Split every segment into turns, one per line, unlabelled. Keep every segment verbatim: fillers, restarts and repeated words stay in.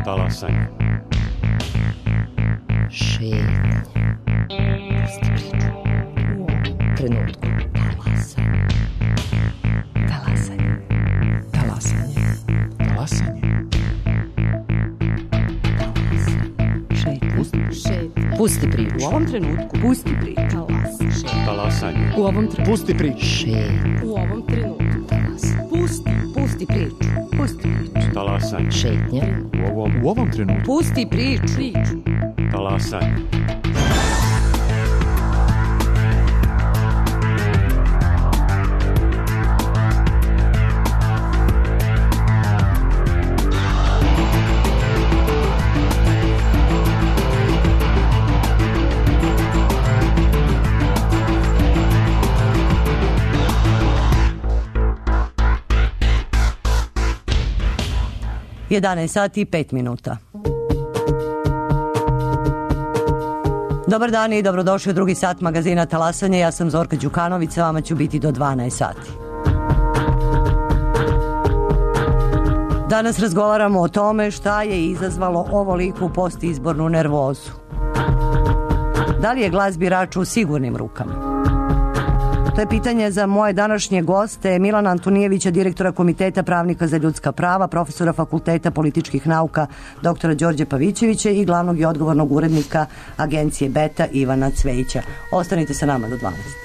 Talasanje.
Šetnja. Pusti priču. U ovom trenutku. Talasanje. Talasanje. Talasanje.
Talasanje.
Šetnja. Šetnja. Pusti priču.
U ovom trenutku.
Pusti priču.
Talasanje.
U ovom trenutku.
Pusti priču.
Šetnja.
U ovom trenutku.
Talasanje.
Pusti. Pusti priču. Pusti priču.
Talasanje.
Šetnja.
U ovom,
U ovom trenutku.
Pusti priču. Priču.
talasanje.
jedanaest sati i pet minuta. Dobar dan i dobrodošli u drugi sat magazina Talasanje. Ja sam Zorka Đukanović, sa vama ću biti do dvanaest sati. Danas razgovaramo o tome šta je izazvalo ovoliku postizbornu nervozu. Da li je glas birača u sigurnim rukama? To je pitanje za moje današnje goste, Milana Antunijevića, direktora Komiteta pravnika za ljudska prava, profesora Fakulteta političkih nauka doktora Đorđe Pavićevića i glavnog i odgovornog urednika agencije Beta Ivana Cvejića. Ostanite sa nama do dvanaest.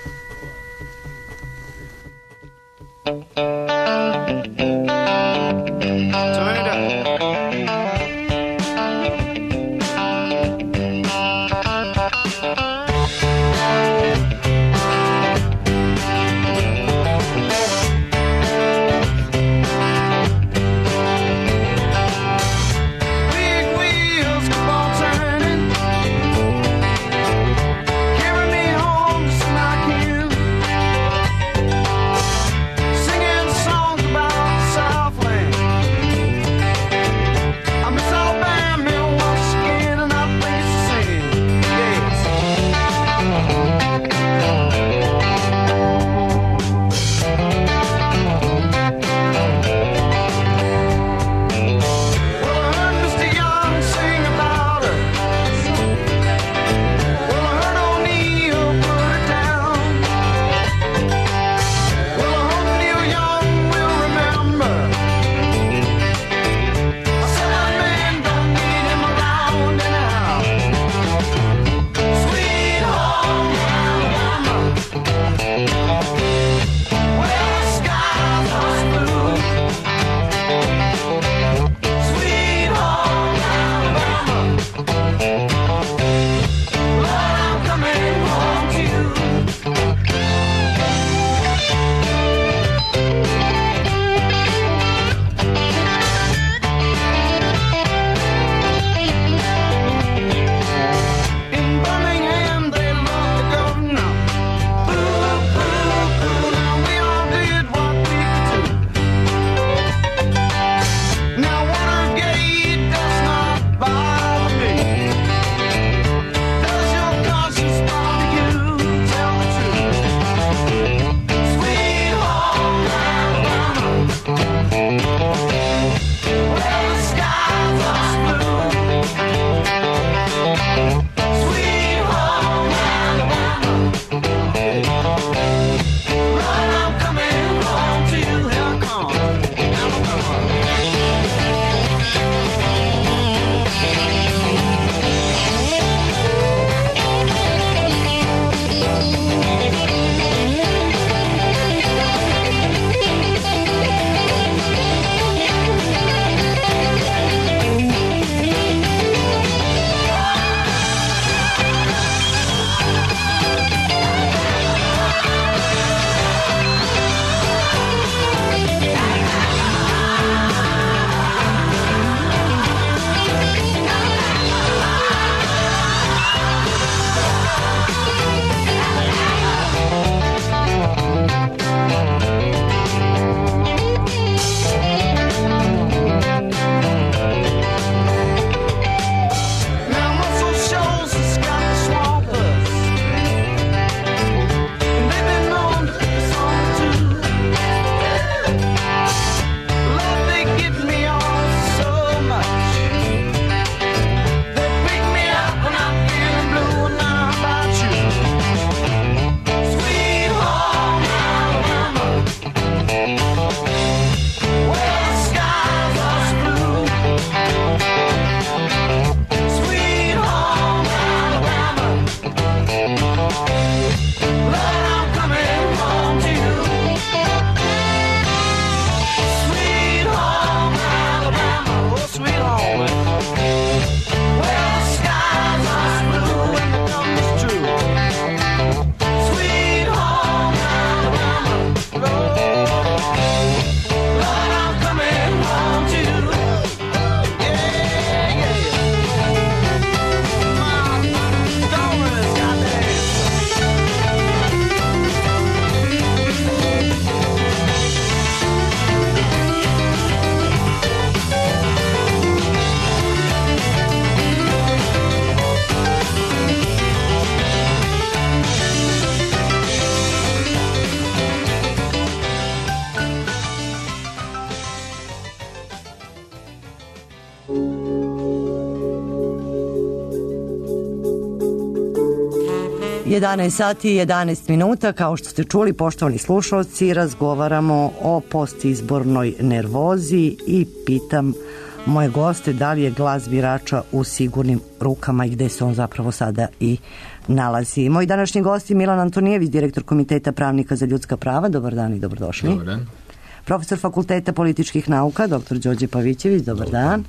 jedanaest sati i jedanaest minuta, kao što ste čuli, poštovani slušalci, razgovaramo o postizbornoj nervozi i pitam moje goste da li je glas birača u sigurnim rukama i gde se on zapravo sada i nalazi. Moj današnji gost je Milan Antonijević, direktor Komiteta pravnika za ljudska prava. Dobar dan i dobrodošli.
Dobar dan.
Profesor Fakulteta političkih nauka, doktor Đorđe Pavićević. Dobar, dobar dan.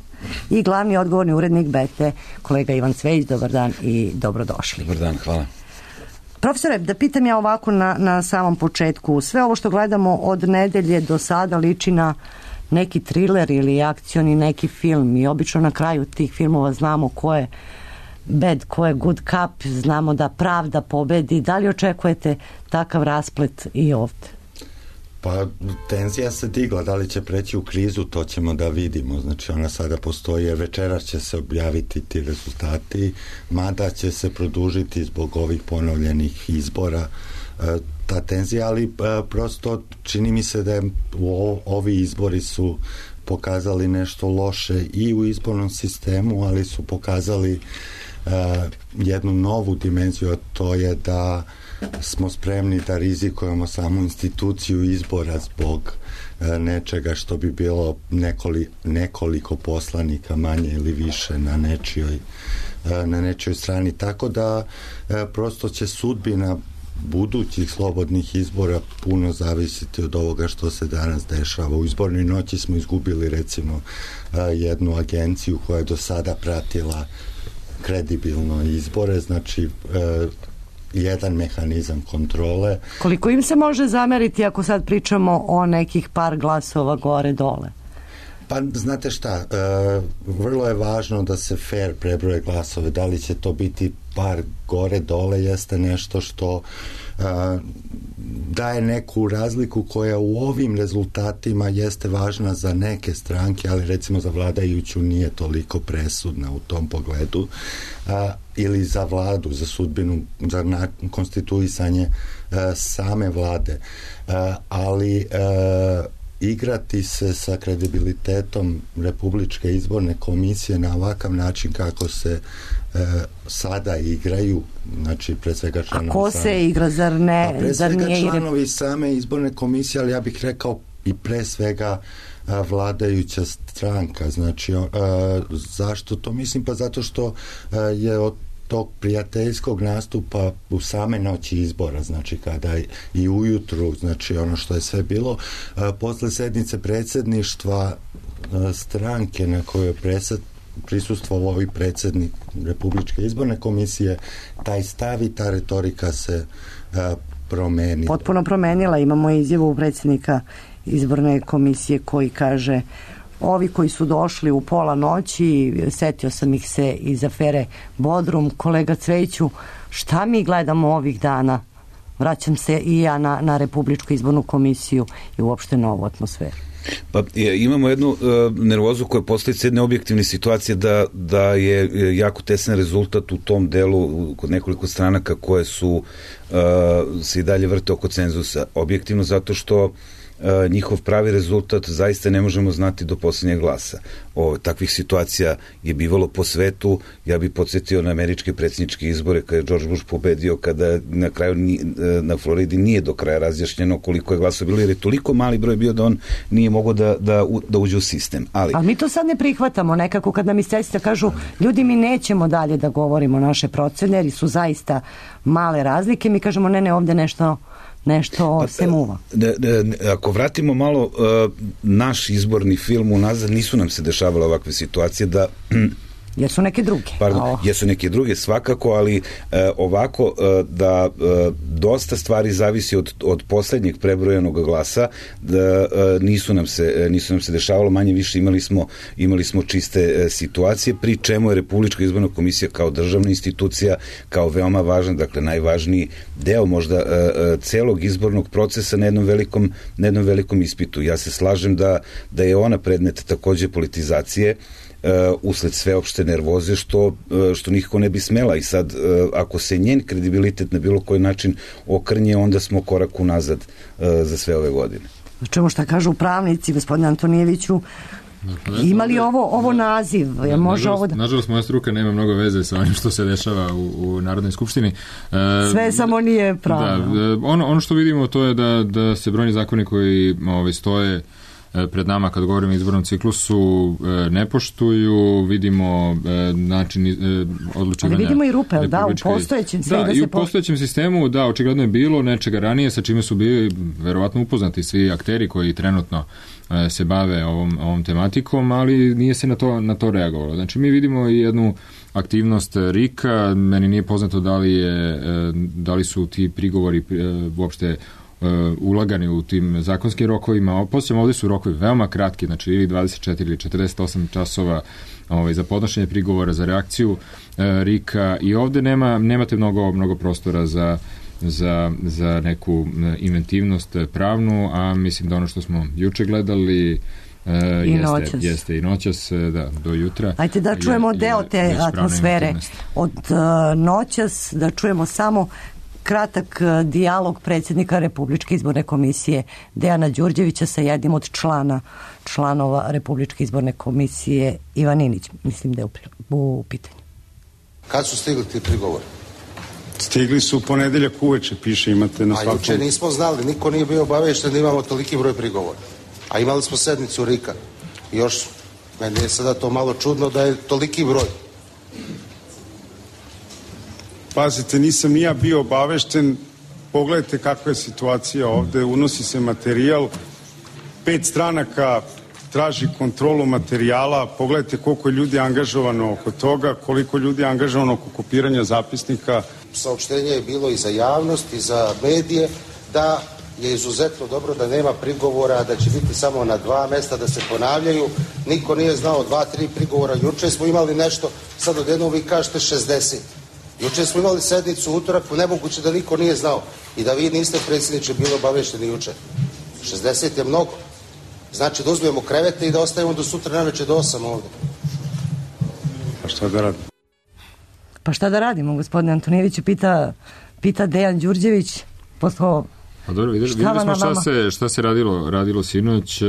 I glavni odgovorni urednik Bete, kolega Ivan Cvejić. Dobar dan i dobrodošli.
Dobar dan, hvala.
Profesore, da pitam ja ovako na, na samom početku. Sve ovo što gledamo od nedelje do sada liči na neki thriller ili akcioni neki film i obično na kraju tih filmova znamo ko je bad, ko je good cop, znamo da pravda pobedi. Da li očekujete takav rasplet i ovde?
Pa tenzija se digla, da li će preći u krizu, to ćemo da vidimo. Znači ona sada postoji, jer večeras će se objaviti ti rezultati, mada će se produžiti zbog ovih ponovljenih izbora e, ta tenzija, ali e, prosto čini mi se da je o, ovi izbori su pokazali nešto loše i u izbornom sistemu, ali su pokazali e, jednu novu dimenziju, a to je da smo spremni da rizikujemo samu instituciju izbora zbog e, nečega što bi bilo nekoli, nekoliko poslanika manje ili više na nečijoj, e, na nečijoj strani. Tako da e, prosto će sudbina budućih slobodnih izbora puno zavisiti od ovoga što se danas dešava. U izbornoj noći smo izgubili recimo e, jednu agenciju koja je do sada pratila kredibilno izbore, znači e, jedan mehanizam kontrole.
Koliko im se može zameriti ako sad pričamo o nekih par glasova gore dole?
Pa znate šta, e, vrlo je važno da se fair prebroje glasove. Da li će to biti par gore dole jeste nešto što e, daje neku razliku koja u ovim rezultatima jeste važna za neke stranke, ali recimo za vladajuću nije toliko presudna u tom pogledu, a, ili za vladu, za sudbinu, za na, konstituisanje a, same vlade. A, ali a, igrati se sa kredibilitetom Republičke izborne komisije na ovakav način kako se e, sada igraju, znači pre svega članovi...
A ko same, se igra, zar ne?
Pa pre
zar
svega
nije
članovi
igre...
same izborne komisije, ali ja bih rekao i pre svega a, vladajuća stranka. Znači, a, zašto to mislim? Pa zato što a, je od tog prijateljskog nastupa u same noći izbora, znači kada i ujutru, znači ono što je sve bilo, a, posle sednice predsjedništva a, stranke na kojoj je presed, prisustvovao ovaj predsjednik Republičke izborne komisije, taj stav i ta retorika se a, promeni.
Potpuno promenila. Imamo izjavu predsjednika izborne komisije koji kaže: ovi koji su došli u pola noći, setio sam ih se iz afere Bodrum. Kolega Cvejiću, šta mi gledamo ovih dana? Vraćam se i ja na, na Republičku izbornu komisiju i uopšte novu atmosferu.
Pa imamo jednu uh, nervozu koja postoji jedne objektivne situacije da, da je jako tesan rezultat u tom delu kod nekoliko stranaka koje su uh, se i dalje vrte oko cenzusa. Objektivno zato što Uh, njihov pravi rezultat zaista ne možemo znati do posljednjeg glasa. O, takvih situacija je bivalo po svetu. Ja bih podsjetio na američke predsjedničke izbore kada je George Bush pobedio, kada na kraju ni, na Floridi nije do kraja razjašnjeno koliko je glasova bilo, jer je toliko mali broj bio da on nije mogao da, da, da uđe u sistem. Ali,
Ali mi to sad ne prihvatamo nekako kad nam iscesite kažu ljudi mi nećemo dalje da govorimo naše procene jer su zaista male razlike. Mi kažemo ne, ne, ovde nešto nešto pa, se muva.
Ne, ne, ako vratimo malo uh, naš izborni film unazad, nisu nam se dešavale ovakve situacije da
jesu neke druge.
Pardon,
oh.
jesu neke druge svakako, ali e, ovako e, da e, dosta stvari zavisi od, od poslednjeg prebrojenog glasa, da e, nisu nam se nisu nam se dešavalo, manje više imali smo imali smo čiste e, situacije, pri čemu je Republička izborna komisija kao državna institucija, kao veoma važan, dakle najvažniji deo možda e, e, celog izbornog procesa na jednom velikom na jednom velikom ispitu. Ja se slažem da da je ona predmet takođe politizacije, Uh, usled sveopšte nervoze, što, uh, što nikako ne bi smela. I sad, uh, ako se njen kredibilitet na bilo koji način okrnje, onda smo korak unazad uh, za sve ove godine.
Čemu šta kažu pravnici, gospodine Antonijeviću, Ima li ovo, ovo naziv? Je može
nažalost,
ovo da...
nažalost, moja struka nema mnogo veze sa onim što se dešava u, u Narodnoj skupštini. E,
Sve samo nije pravno.
Da, ono, ono što vidimo to je da, da se brojni zakoni koji ovaj, stoje pred nama kad govorimo o izbornom ciklusu ne poštuju, vidimo način odlučivanja.
Ali vidimo i rupe, da, u postojećem
da, da i u postojećem sistemu, da, očigledno je bilo nečega ranije sa čime su bili verovatno upoznati svi akteri koji trenutno se bave ovom, ovom tematikom, ali nije se na to, na to reagovalo. Znači mi vidimo i jednu aktivnost RIK-a, meni nije poznato da li, je, da li su ti prigovori uopšte ulagani u tim zakonskim rokovima. Posjećam, ovdje su rokovi veoma kratki, znači ili dvadeset četiri ili četrdeset osam časova ovaj, za podnošenje prigovora, za reakciju e, RIK-a i ovdje nema, nemate mnogo, mnogo prostora za, za, za neku inventivnost pravnu, a mislim da ono što smo juče gledali Uh,
I
jeste,
noćas.
jeste i noćas, da, do jutra.
Ajde da čujemo je, deo te je atmosfere od uh, noćas, da čujemo samo kratak uh, dijalog predsjednika Republičke izborne komisije Dejana Đurđevića sa jednim od člana članova Republičke izborne komisije Ivan Inić, mislim da je u, u pitanju.
Kad su stigli ti prigovori?
Stigli su u ponedeljak uveče, piše, imate na svakom...
A juče nismo znali, niko nije bio obavešten da imamo toliki broj prigovora. A imali smo sednicu RIK-a. Još, meni je sada to malo čudno da je toliki broj.
Pazite, nisam ni ja bio obavešten. Pogledajte kakva je situacija ovde. Unosi se materijal. Pet stranaka traži kontrolu materijala. Pogledajte koliko je ljudi angažovano oko toga, koliko ljudi je angažovano oko kopiranja zapisnika.
Saopštenje je bilo i za javnost, i za medije, da je izuzetno dobro da nema prigovora, da će biti samo na dva mesta, da se ponavljaju. Niko nije znao dva, tri prigovora. Juče smo imali nešto, sad odjednom vi kažete šezdeset. Juče smo imali sednicu u utorak, nemoguće da niko nije znao. I da vi niste, predsjedniče, bili obavešteni juče. šezdeset je mnogo. Znači da uzmemo krevete i da ostavimo do sutra naveče do osam ovde.
Pa šta da radimo?
Pa šta da radimo, gospodine Antonijeviću, pita, pita Dejan Đurđević, posle...
Pa dobro, vidjeli, vidjeli smo šta se, šta se radilo, radilo sinoć,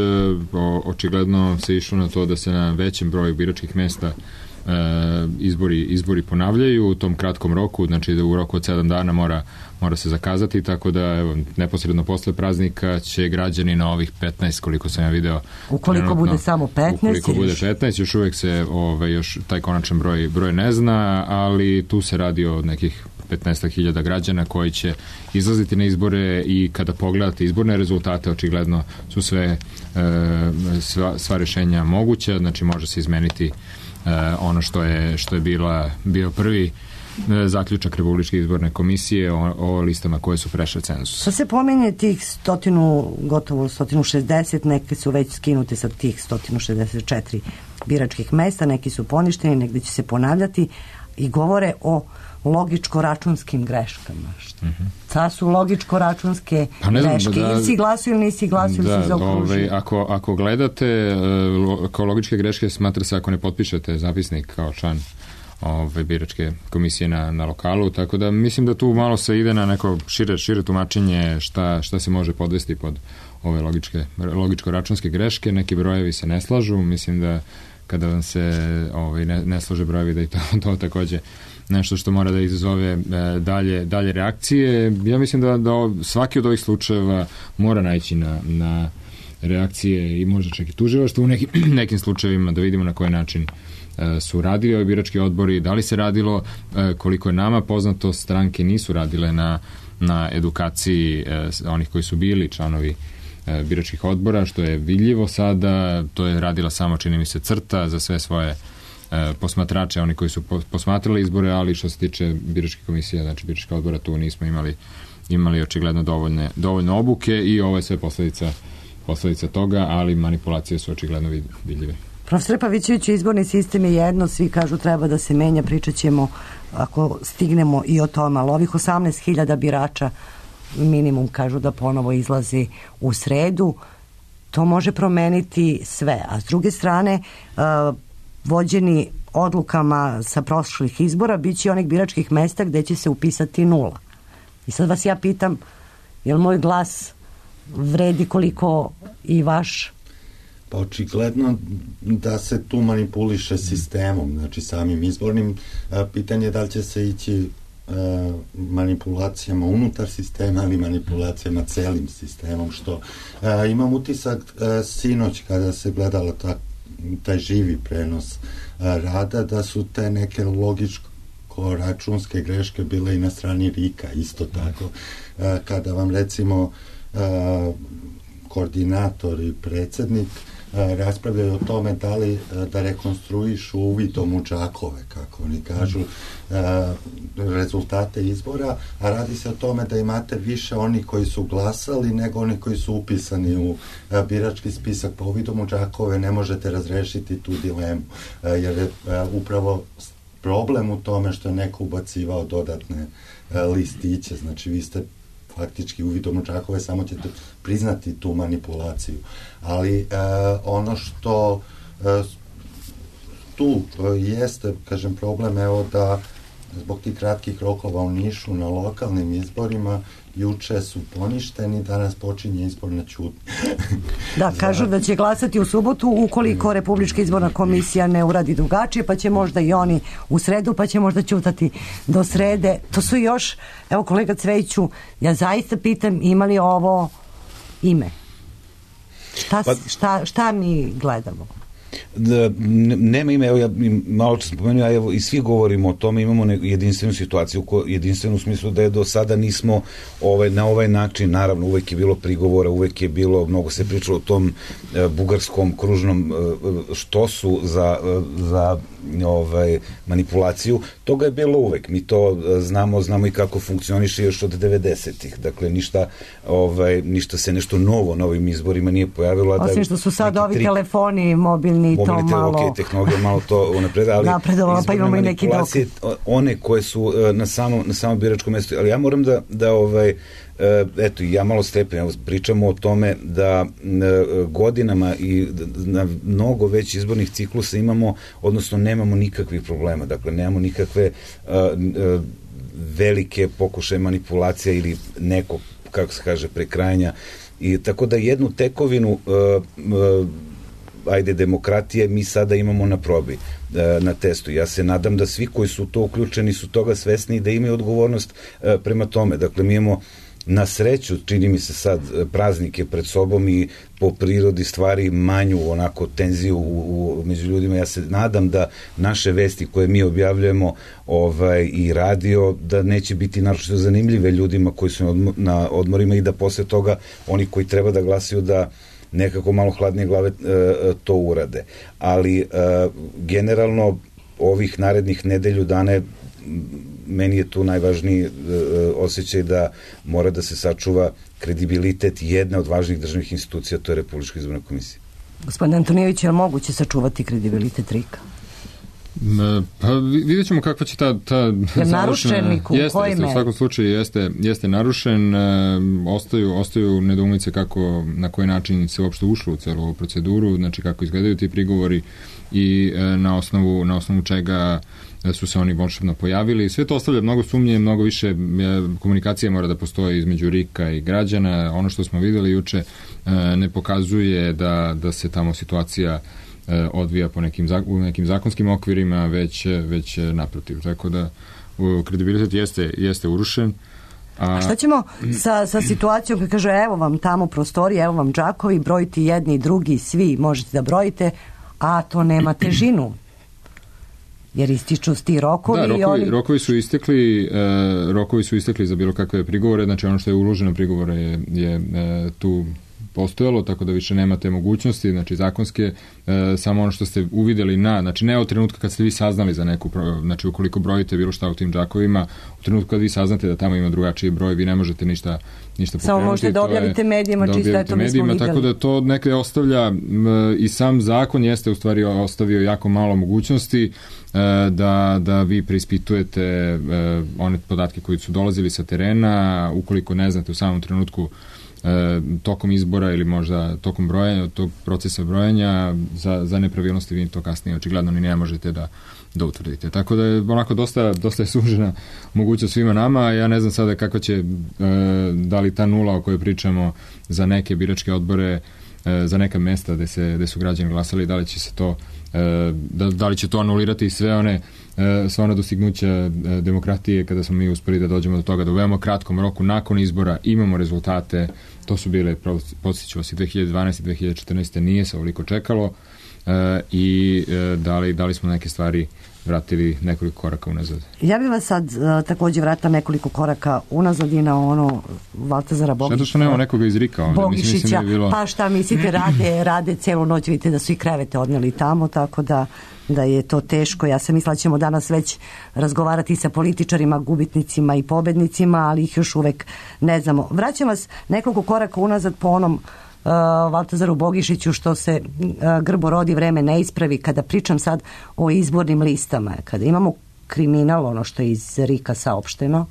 o, očigledno se išlo na to da se na većem broju biračkih mesta e, izbori, izbori ponavljaju u tom kratkom roku, znači da u roku od sedam dana mora, mora se zakazati, tako da evo, neposredno posle praznika će građani na ovih petnaest, koliko sam ja video,
ukoliko bude samo petnaest,
ukoliko bude petnaest, još uvijek se ove, još taj konačan broj, broj ne zna, ali tu se radi o nekih petnaest hiljada građana koji će izlaziti na izbore i kada pogledate izborne rezultate, očigledno su sve e, sva, sva rješenja moguća, znači može se izmeniti e, ono što je, što je bila, bio prvi e, zaključak Republičke izborne komisije o, o listama koje su prešle cenzus.
Sad se pominje tih stotinu, gotovo stotinu šezdeset, neke su već skinute sa tih stotinu šezdeset četiri biračkih mesta, neki su poništeni, negdje će se ponavljati i govore o logičko-računskim greškama. Mm-hmm. Ta su logičko-računske pa greške. Da, ili si glasio ili nisi glasio, ili si zaokružio.
Ovaj, ako, ako gledate kao logičke greške, smatra se ako ne potpišete zapisnik kao član ove biračke komisije na, na lokalu, tako da mislim da tu malo se ide na neko šire, šire tumačenje šta, šta se može podvesti pod ove logičke, logičko-računske greške. Neki brojevi se ne slažu, mislim da kada vam se ovaj, ne, ne slaže brojevi da i to, to takođe nešto što mora da izazove e, dalje, dalje reakcije. Ja mislim da, da svaki od ovih slučajeva mora naići na, na reakcije i možda čak i tužilaštvo u nekim, nekim slučajevima, da vidimo na koji način e, su radili ovi birački odbori, da li se radilo, e, koliko je nama poznato, stranke nisu radile na, na edukaciji e, onih koji su bili članovi e, biračkih odbora, što je vidljivo sada, to je radila samo, čini mi se, CRTA za sve svoje posmatrače, oni koji su posmatrali izbore, ali što se tiče biračke komisije, znači biračka odbora, tu nismo imali imali očigledno dovoljne, dovoljne obuke i ovo je sve posledica, posledica toga, ali manipulacije su očigledno vidljive.
Profesor Pavićević, izborni sistem je jedno, svi kažu treba da se menja, pričat ćemo ako stignemo i o tome, ali ovih osamnaest hiljada birača minimum kažu da ponovo izlazi u sredu, to može promeniti sve, a s druge strane uh, vođeni odlukama sa prošlih izbora bit će onih biračkih mesta gde će se upisati nula. I sad vas ja pitam, je li moj glas vredi koliko i vaš?
Pa očigledno da se tu manipuliše sistemom, znači samim izbornim. Pitanje je da li će se ići manipulacijama unutar sistema ili manipulacijama celim sistemom, što imam utisak sinoć kada se gledala ta, taj živi prenos rada, da su te neke logičko računske greške bile i na strani Rika, isto tako. Kada vam recimo koordinator i predsednik raspravljaju o tome da li da rekonstruišu uvidom u džakove, kako oni kažu, rezultate izbora, a radi se o tome da imate više oni koji su glasali nego oni koji su upisani u birački spisak. Pa uvidom u džakove ne možete razrešiti tu dilemu, jer je upravo problem u tome što je neko ubacivao dodatne listiće, znači vi ste faktički uvidom u džakove samo ćete priznati tu manipulaciju. Ali e, ono što e, tu e, jeste, kažem, problem, evo da zbog tih kratkih rokova u Nišu na lokalnim izborima juče su poništeni, danas počinje izbor na ćutnju.
Da, kažu da će glasati u subotu ukoliko Republička izborna komisija ne uradi drugačije, pa će možda i oni u sredu, pa će možda ćutati do srede. To su još, evo kolega Cvejiću, ja zaista pitam, ima li ovo ime? Šta, pa, šta, šta mi gledamo?
Da, nema ime, evo ja malo čas spomenuo, a evo i svi govorimo o tome, imamo jedinstvenu situaciju, jedinstvenu u smislu da je do sada nismo ovaj, na ovaj način, naravno uvek je bilo prigovora, uvek je bilo, mnogo se pričalo o tom e, bugarskom kružnom e, štosu za, e, za ovaj, manipulaciju, toga je bilo uvek, mi to znamo, znamo i kako funkcioniše još od devedesetih, dakle ništa, ovaj, ništa se nešto novo na ovim izborima nije pojavilo.
Osim da, što su sad ovi tri... telefoni mobilni, to malo...
Ok, tehnologija malo to unapredala, ali
napredovalo, pa imamo i neki dokaz.
One koje su na samom, na samom biračkom mestu, ali ja moram da, da ovaj, eto, ja malo stepen, pričamo o tome da godinama i na mnogo već izbornih ciklusa imamo, odnosno nemamo nikakvih problema, dakle nemamo nikakve velike pokušaje manipulacija ili neko, kako se kaže, prekrajanja, i tako da jednu tekovinu ajde demokratije mi sada imamo na probi, na testu. Ja se nadam da svi koji su to uključeni su toga svesni i da imaju odgovornost prema tome. Dakle, mi imamo na sreću, čini mi se sad, praznike pred sobom i po prirodi stvari manju onako tenziju u, u, među ljudima. Ja se nadam da naše vesti koje mi objavljujemo ovaj, i radio, da neće biti naročito zanimljive ljudima koji su na odmorima i da posle toga oni koji treba da glasaju da nekako malo hladnije glave e, to urade. Ali e, generalno ovih narednih nedelju dane meni je tu najvažniji e, osjećaj da mora da se sačuva kredibilitet jedne od važnih državnih institucija, to je Republička izborna komisija.
Gospodin Antonijević, je li moguće sačuvati kredibilitet Rika?
Pa vidjet ćemo kakva će ta, ta
narušen u
jeste, jeste, u svakom slučaju jeste, jeste narušen, e, ostaju, ostaju nedoumice kako, na koji način se uopšte ušlo u celu ovu proceduru, znači kako izgledaju ti prigovori i e, na osnovu, na osnovu čega su se oni volšebno pojavili. Sve to ostavlja mnogo sumnje, mnogo više e, komunikacije mora da postoji između Rika i građana. Ono što smo videli juče e, ne pokazuje da, da se tamo situacija odvija po nekim, u nekim zakonskim okvirima, već, već naprotiv. Tako da kredibilitet jeste, jeste urušen.
A, a šta ćemo sa, sa situacijom kad kaže evo vam tamo prostorije, evo vam džakovi, brojiti jedni, drugi, svi možete da brojite, a to nema težinu? Jer ističu ti rokovi.
Da, rokovi,
i oni...
rokovi su istekli, e, rokovi su istekli za bilo kakve prigovore, znači ono što je uloženo prigovore je, je e, tu postojalo, tako da više nema te mogućnosti, znači zakonske, e, samo ono što ste uvideli na, znači ne od trenutka kad ste vi saznali za neku, znači ukoliko brojite bilo šta u tim džakovima, u trenutku kad vi saznate da tamo ima drugačiji broj, vi ne možete ništa, ništa pokrenuti.
Samo možete da objavite medijima, čisto eto mi smo videli.
Tako da to neke ostavlja m, i sam zakon jeste u stvari ostavio jako malo mogućnosti e, da, da vi preispitujete e, one podatke koji su dolazili sa terena, ukoliko ne znate u samom trenutku E, tokom izbora ili možda tokom brojanja, tog procesa brojanja za, za nepravilnosti vi to kasnije očigledno ni ne možete da, da utvrdite. Tako da je onako dosta, dosta je sužena mogućnost svima nama. Ja ne znam sada kako će, e, da li ta nula o kojoj pričamo za neke biračke odbore, za neka mesta gde, se, gde su građani glasali, da li će se to da, da li će to anulirati sve one sva ona dostignuća demokratije kada smo mi uspeli da dođemo do toga da u veoma kratkom roku nakon izbora imamo rezultate. To su bile, podsjeću vas, i dve hiljade dvanaeste i dve hiljade četrnaeste nije se ovoliko čekalo i da li, da li smo neke stvari vratili nekoliko koraka unazad.
Ja bih vas sad uh, takođe vratila nekoliko koraka unazad i na ono Valtazara Bogišića.
Što što nema nekoga iz Rika ovde?
Bogišića,
mislim, mislim da je bilo...
pa šta mislite, rade, rade celu noć, vidite da su i krevete odneli tamo, tako da, da je to teško. Ja sam mislila da ćemo danas već razgovarati sa političarima, gubitnicima i pobednicima, ali ih još uvek ne znamo. Vraćam vas nekoliko koraka unazad po onom Uh, Valtazaru Bogišiću, što se uh, grbo rodi, vreme ne ispravi. Kada pričam sad o izbornim listama, kada imamo kriminal, ono što je iz Rika saopšteno,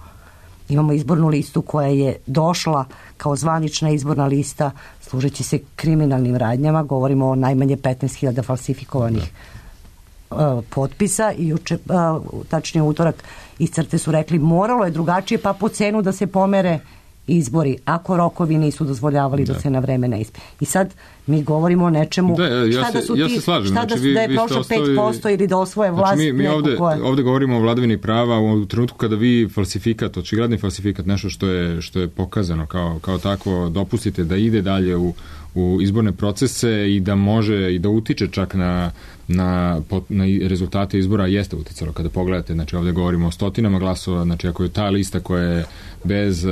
imamo izbornu listu koja je došla kao zvanična izborna lista služeći se kriminalnim radnjama, govorimo o najmanje petnaest hiljada falsifikovanih uh, potpisa i juče, uh, tačnije utorak iz CRTE su rekli moralo je drugačije, pa po cenu da se pomere izbori, ako rokovi nisu dozvoljavali da, da se na vreme ne ispe. I sad mi govorimo o nečemu,
da, ja
šta
se,
da su
ja
ti,
se slažem.
šta
Znači,
da,
vi,
da je
vi
prošlo
ostavi...
pet posto ili da osvoje vlast.
Znači, mi, mi ovde,
koje...
ovde govorimo o vladavini prava u trenutku kada vi falsifikat, očigledni falsifikat, nešto što je, što je pokazano kao, kao takvo, dopustite da ide dalje u, u izborne procese i da može i da utiče čak na, na, na rezultate izbora, jeste uticalo. Kada pogledate, znači ovde govorimo o stotinama glasova, znači ako je ta lista koja je bez e,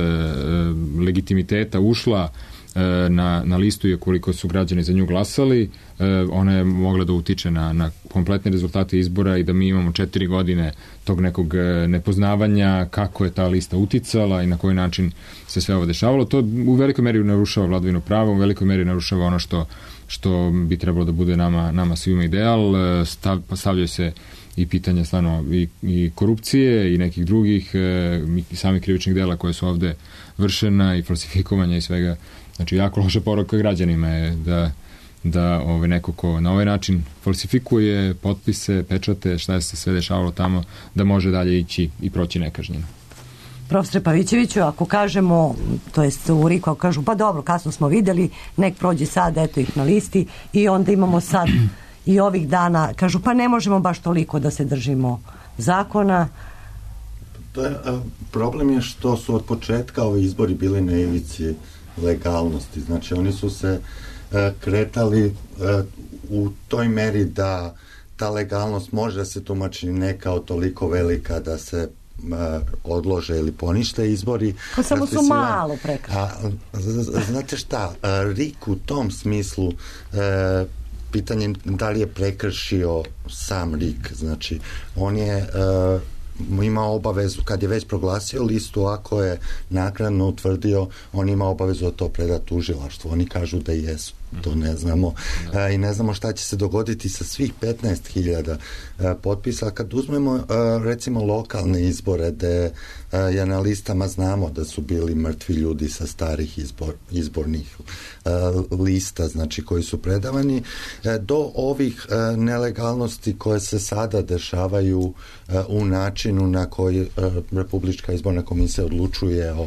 legitimiteta ušla e, na, na listu i koliko su građani za nju glasali, e, ona je mogla da utiče na, na kompletne rezultate izbora i da mi imamo četiri godine tog nekog nepoznavanja kako je ta lista uticala i na koji način se sve ovo dešavalo. To u velikoj meri narušava vladavinu prava, u velikoj meri narušava ono što, što bi trebalo da bude nama, nama svima ideal. Stav, stavljaju se i pitanja stvarno i, i korupcije i nekih drugih i samih krivičnih dela koje su ovde vršena i falsifikovanja i svega. Znači, jako loša poruka građanima je da, da ovaj, neko ko na ovaj način falsifikuje potpise, pečate, šta je se sve dešavalo tamo, da može dalje ići i proći nekažnjeno.
Profesore Pavićeviću, ako kažemo, to jest u Riku, ako kažu, pa dobro, kasno smo videli, nek prođe sad, eto ih na listi i onda imamo sad i ovih dana, kažu, pa ne možemo baš toliko da se držimo zakona.
To je, problem je što su od početka ovi izbori bili na ivici legalnosti. Znači, oni su se kretali u toj meri da ta legalnost može da se tumači ne kao toliko velika da se odlože ili ponište izbori.
Pa samo su malo prekršili.
Znate šta, Rik u tom smislu e, pitanje da li je prekršio sam Rik. Znači, on je e, imao obavezu, kad je već proglasio listu, ako je naknadno utvrdio, on ima obavezu da to preda tužilaštvu. Oni kažu da jesu. To ne znamo. Da. E, I ne znamo šta će se dogoditi sa svih petnaest hiljada e, potpisa. Kad uzmemo, e, recimo, lokalne izbore, gde e, je na listama znamo da su bili mrtvi ljudi sa starih izbor, izbornih e, lista, znači, koji su predavani, e, do ovih e, nelegalnosti koje se sada dešavaju e, u načinu na koji e, Republička izborna komisija odlučuje o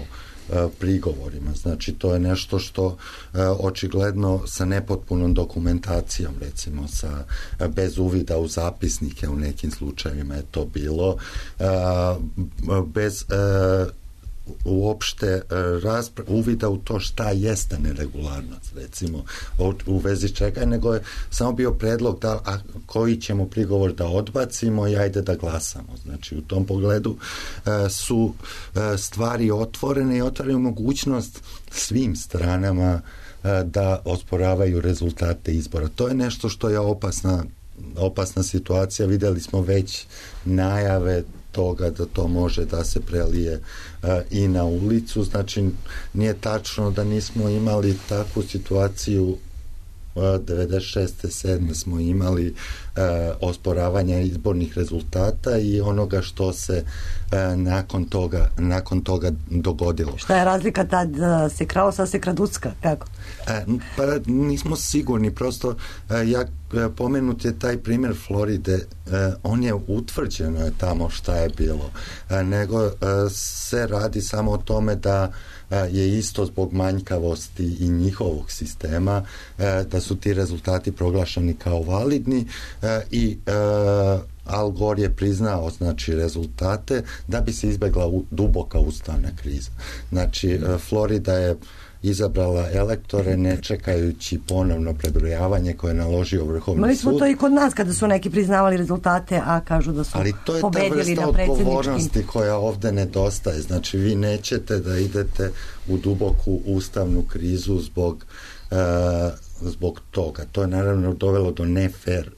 prigovorima. Znači, to je nešto što e, očigledno sa nepotpunom dokumentacijom, recimo sa, bez uvida u zapisnike u nekim slučajevima je to bilo, e, bez e, uopšte raspra- uvida u to šta jeste neregularnost, recimo, u, u vezi čega, nego je samo bio predlog da, a koji ćemo prigovor da odbacimo i ajde da glasamo. Znači, u tom pogledu e, su e, stvari otvorene i otvaraju mogućnost svim stranama e, da osporavaju rezultate izbora. To je nešto što je opasna, opasna situacija. Videli smo već najave toga da to može da se prelije uh, i na ulicu. Znači, nije tačno da nismo imali takvu situaciju. uh, devedeset šeste sedme smo imali uh, osporavanja izbornih rezultata i onoga što se uh, nakon toga nakon toga dogodilo.
Šta je razlika tad uh, se kralo, sad se kraducka? Kako?
Uh, pa nismo sigurni, prosto uh, ja pomenut je taj primjer Floride, uh, on je utvrđeno je tamo šta je bilo, uh, nego uh, se radi samo o tome da je isto zbog manjkavosti i njihovog sistema, da su ti rezultati proglašeni kao validni i Al Gore je priznao, znači, rezultate da bi se izbegla u, duboka ustavna kriza. Znači, Florida je izabrala elektore ne čekajući ponovno prebrojavanje koje je naložio Vrhovni
Mali
sud.
smo to i kod nas kada su neki priznavali rezultate, a kažu da su pobedili na predsjedničkim.
Ali to je ta vrsta odgovornosti koja ovde nedostaje. Znači, vi nećete da idete u duboku ustavnu krizu zbog, uh, zbog toga. To je naravno dovelo do nefer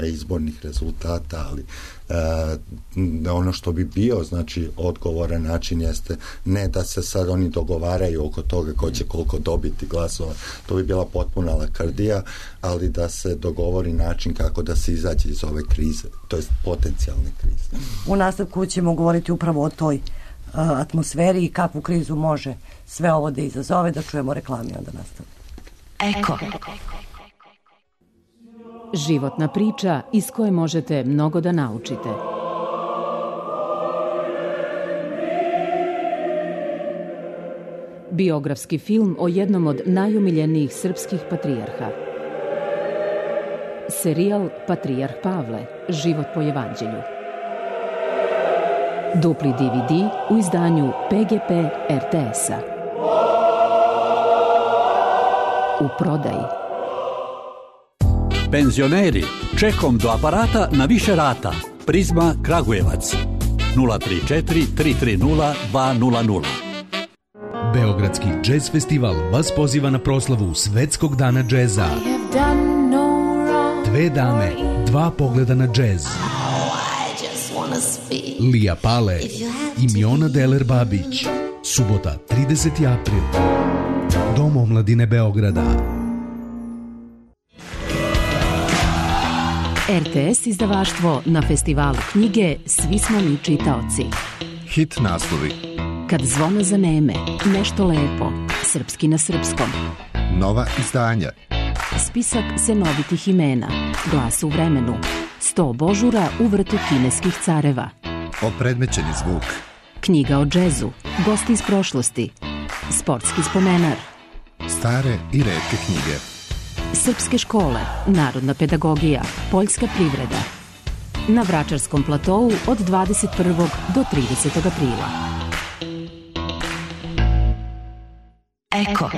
izbornih rezultata, ali e, ono što bi bio, znači, odgovoran način jeste ne da se sad oni dogovaraju oko toga ko će koliko dobiti glasova, to bi bila potpuna lakrdija, ali da se dogovori način kako da se izađe iz ove krize, to je potencijalne krize.
U nastavku ćemo govoriti upravo o toj uh, atmosferi i kakvu krizu može sve ovo da izazove, da čujemo reklami, onda nastavimo.
Eko.
Životna priča iz koje možete mnogo da naučite. Biografski film o jednom od najomiljenijih srpskih patrijarha. Serijal Patrijarh Pavle, život po evanđelju. Dupli D V D u izdanju P G P R T S-a. U prodaji.
Penzioneri, čekom do aparata na više rata. Prizma Kragujevac. nula tri četiri tri tri nula dva nula nula.
Beogradski džez festival vas poziva na proslavu Svetskog dana džeza. Dve dame, dva pogleda na džez. Lija Pale i Miona Deler Babić. Subota, trideseti april. Dom omladine Beograda.
R T S izdavaštvo na festivalu knjige Svi smo mi čitaoci.
Hit naslovi.
Kad zvona zaneme, nešto lepo, srpski na srpskom.
Nova izdanja.
Spisak senovitih imena, Glas u vremenu, sto božura u vrtu kineskih careva.
Opredmećeni zvuk.
Knjiga o džezu, gosti iz prošlosti, sportski spomenar.
Stare i retke knjige.
Srpske škole, narodna pedagogija, poljska privreda. Na Vračarskom platou od dvadeset prvog do tridesetog aprila.
Eko.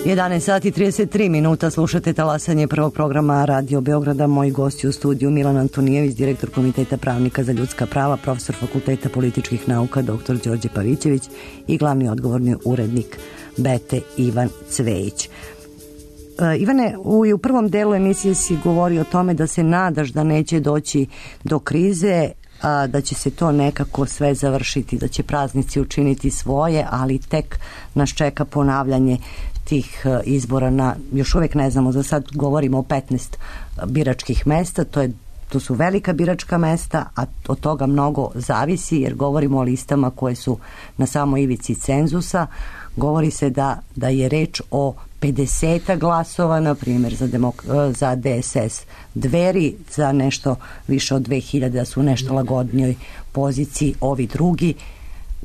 jedanaest sati i trideset tri minuta, slušate talasanje prvog programa Radio Beograda. Moji gosti u studiju: Milan Antonijević, direktor Komiteta pravnika za ljudska prava, profesor Fakulteta političkih nauka doktor Đorđe Pavićević i glavni odgovorni urednik Bete Ivan Cvejić. Uh, Ivane, u, u prvom delu emisije si govorio o tome da se nadaš da neće doći do krize, a da će se to nekako sve završiti, da će praznici učiniti svoje, ali tek nas čeka ponavljanje tih izbora na, još uvijek ne znamo, za sad govorimo o petnaest biračkih mesta, to je to su velika biračka mesta, a od toga mnogo zavisi, jer govorimo o listama koje su na samoj ivici cenzusa. Govori se da, da je reč o pedeset glasova, na primjer, za, demok, za D S S. Dveri za nešto više od dve hiljade, da su u nešto lagodnijoj poziciji ovi drugi.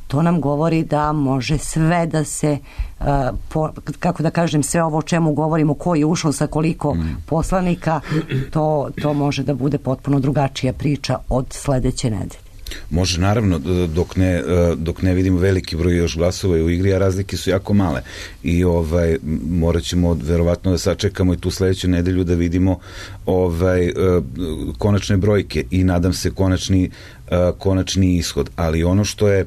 To nam govori da može sve da se, uh, po, kako da kažem, sve ovo o čemu govorimo, ko je ušao sa koliko mm. poslanika, to, to može da bude potpuno drugačija priča od sledeće nedelje.
Može, naravno, dok ne, dok ne vidimo veliki broj još glasova u igri, a razlike su jako male. I ovaj, morat ćemo verovatno da sačekamo i tu sledeću nedelju da vidimo ovaj, konačne brojke i nadam se konačni, konačni ishod. Ali ono što je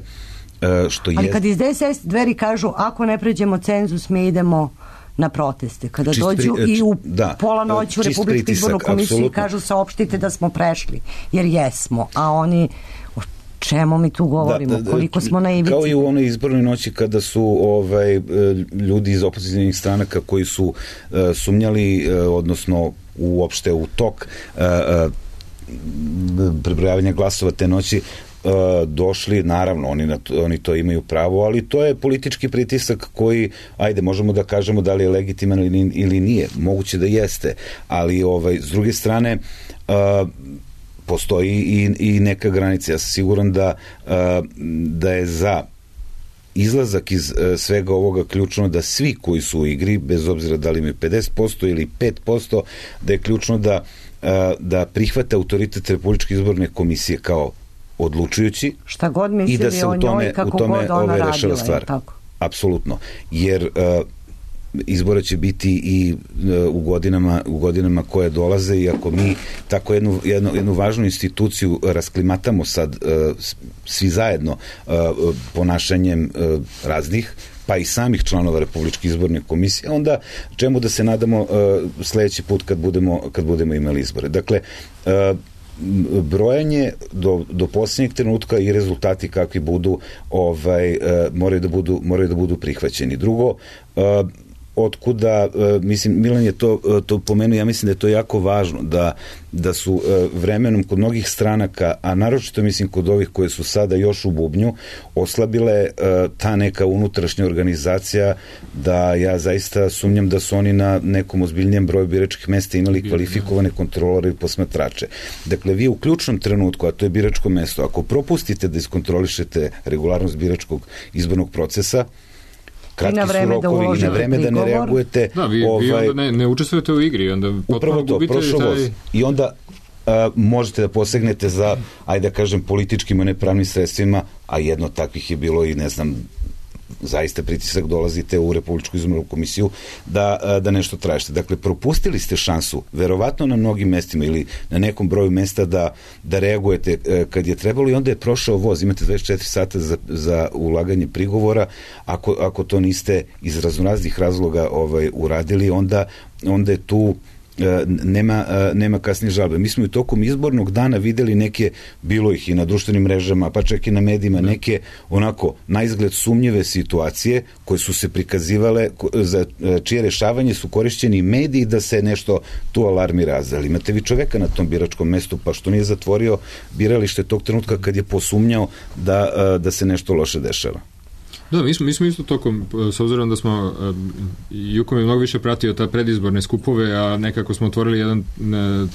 što
Ali
je...
kad iz D S S Dveri kažu ako ne pređemo cenzus, mi idemo na proteste. Kada čist dođu pri, i u da, pola noći u Republičku izbornu komisiju i kažu saopštite da smo prešli, jer jesmo, a oni o čemu mi tu govorimo, da, da, koliko smo na ivici.
Kao i u onoj izbornoj noći kada su ovaj, ljudi iz opozicijnih stranaka koji su uh, sumnjali, uh, odnosno uopšte u tok uh, uh, prebrojavanja glasova te noći, Uh, došli, naravno oni, na to, oni to imaju pravo, ali to je politički pritisak koji, ajde, možemo da kažemo da li je legitiman ili, ili nije, moguće da jeste, ali ovaj, s druge strane uh, postoji i, i neka granica. Ja sam siguran da, da je za izlazak iz svega ovoga ključno da svi koji su u igri, bez obzira da li imaju pedeset posto ili pet posto, da je ključno da, da prihvate autoritet Republičke izborne komisije kao odlučujući
šta god mislili
i da se
o
u tome,
njoj, kako
u tome
god ona
ove,
radila.
rešava stvar.
Tako.
Apsolutno. Jer uh, izbora će biti i uh, u godinama u godinama koje dolaze i ako mi tako jednu, jednu, jednu važnu instituciju rasklimatamo sad uh, svi zajedno uh, ponašanjem uh, raznih pa i samih članova Republičke izborne komisije, onda čemu da se nadamo uh, sledeći put kad budemo, kad budemo imali izbore. Dakle, uh, brojanje do, do posljednjeg trenutka i rezultati kakvi budu ovaj, uh, moraju, da budu, moraju da budu prihvaćeni. Drugo, uh, otkuda, uh, mislim, Milan je to, uh, to pomenuo, ja mislim da je to jako važno, da, da su uh, vremenom kod mnogih stranaka, a naročito mislim kod ovih koje su sada još u bubnju, oslabile uh, ta neka unutrašnja organizacija, da ja zaista sumnjam da su oni na nekom ozbiljnijem broju biračkih mesta imali kvalifikovane kontrolore i posmatrače. Dakle, vi u ključnom trenutku, a to je biračko mesto, ako propustite da iskontrolišete regularnost biračkog izbornog procesa, kratki su rokovi i na vreme da ne reagujete.
Da, vi,
ovaj,
vi onda ne, ne učestvujete u igri, onda
upravo to, prošlo taj... voz. I onda uh, možete da posegnete za, ajde da kažem, političkim i nepravnim sredstvima, a jedno takvih je bilo i, ne znam, zaista pritisak, dolazite u Republičku izbornu komisiju da, da nešto tražite. Dakle, propustili ste šansu, verovatno na mnogim mestima ili na nekom broju mesta da, da reagujete kad je trebalo i onda je prošao voz. Imate dvadeset četiri sata za, za ulaganje prigovora. Ako, ako to niste iz raznoraznih razloga ovaj, uradili, onda, onda je tu nema, nema kasnije žalbe. Mi smo i tokom izbornog dana videli neke, bilo ih i na društvenim mrežama, pa čak i na medijima, neke onako na izgled sumnjive situacije koje su se prikazivale, za čije rešavanje su korišćeni mediji da se nešto tu alarmira. Ali imate vi čoveka na tom biračkom mestu, pa što nije zatvorio biralište tog trenutka kad je posumnjao da, da se nešto loše dešava.
Da, mi smo, mi smo isto tokom, s obzirom da smo, Jukom je mnogo više pratio ta predizborne skupove, a nekako smo otvorili jedan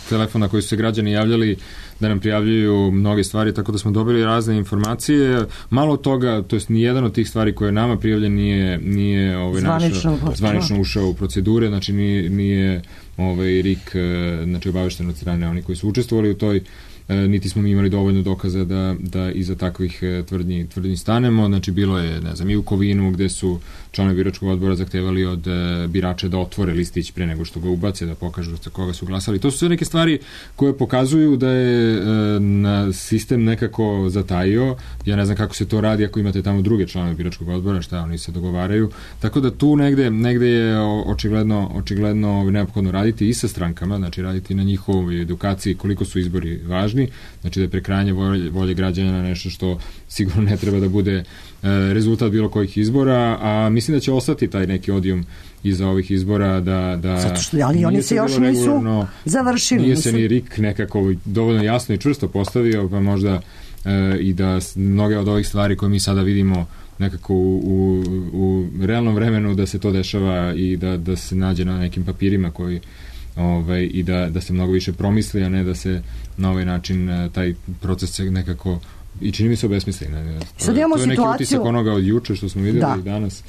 telefon na koji su se građani javljali da nam prijavljuju mnoge stvari, tako da smo dobili razne informacije. Malo od toga, to jest nijedan od tih stvari koje je nama prijavljen nije, nije ovaj,
zvanično,
našo, zvanično ušao u procedure, znači nije, nije ovaj, R I K znači, obavešten od strane oni koji su učestvovali u toj, niti smo mi imali dovoljno dokaza da, da iza takvih tvrdnji, tvrdnji stanemo. Znači bilo je, ne znam, i u Kovinu gde su članovi biračkog odbora zahtevali od birača da otvore listić pre nego što ga ubace, da pokažu za koga su glasali. To su sve neke stvari koje pokazuju da je na sistem nekako zatajio. Ja ne znam kako se to radi ako imate tamo druge članove biračkog odbora, šta oni se dogovaraju. Tako da tu negde, negde je očigledno, očigledno neophodno raditi i sa strankama, znači raditi na njihovoj edukaciji koliko su izbori važni, znači da je prekrajanje volje, volje građana nešto što sigurno ne treba da bude e, rezultat bilo kojih izbora, a mislim da će ostati taj neki odijum iza ovih izbora da... da
zato što, ali oni se još nisu završili.
Nije se ni R I K nekako dovoljno jasno i čvrsto postavio, pa možda e, i da mnoge od ovih stvari koje mi sada vidimo nekako u, u, u realnom vremenu da se to dešava i da, da se nađe na nekim papirima koji Ovaj, i da, da se mnogo više promisli, a ne da se na ovaj način taj proces nekako i čini mi se obesmisli.
Sad imamo
to je neki
situaciju...
utisak onoga od juče što smo vidjeli da. I danas.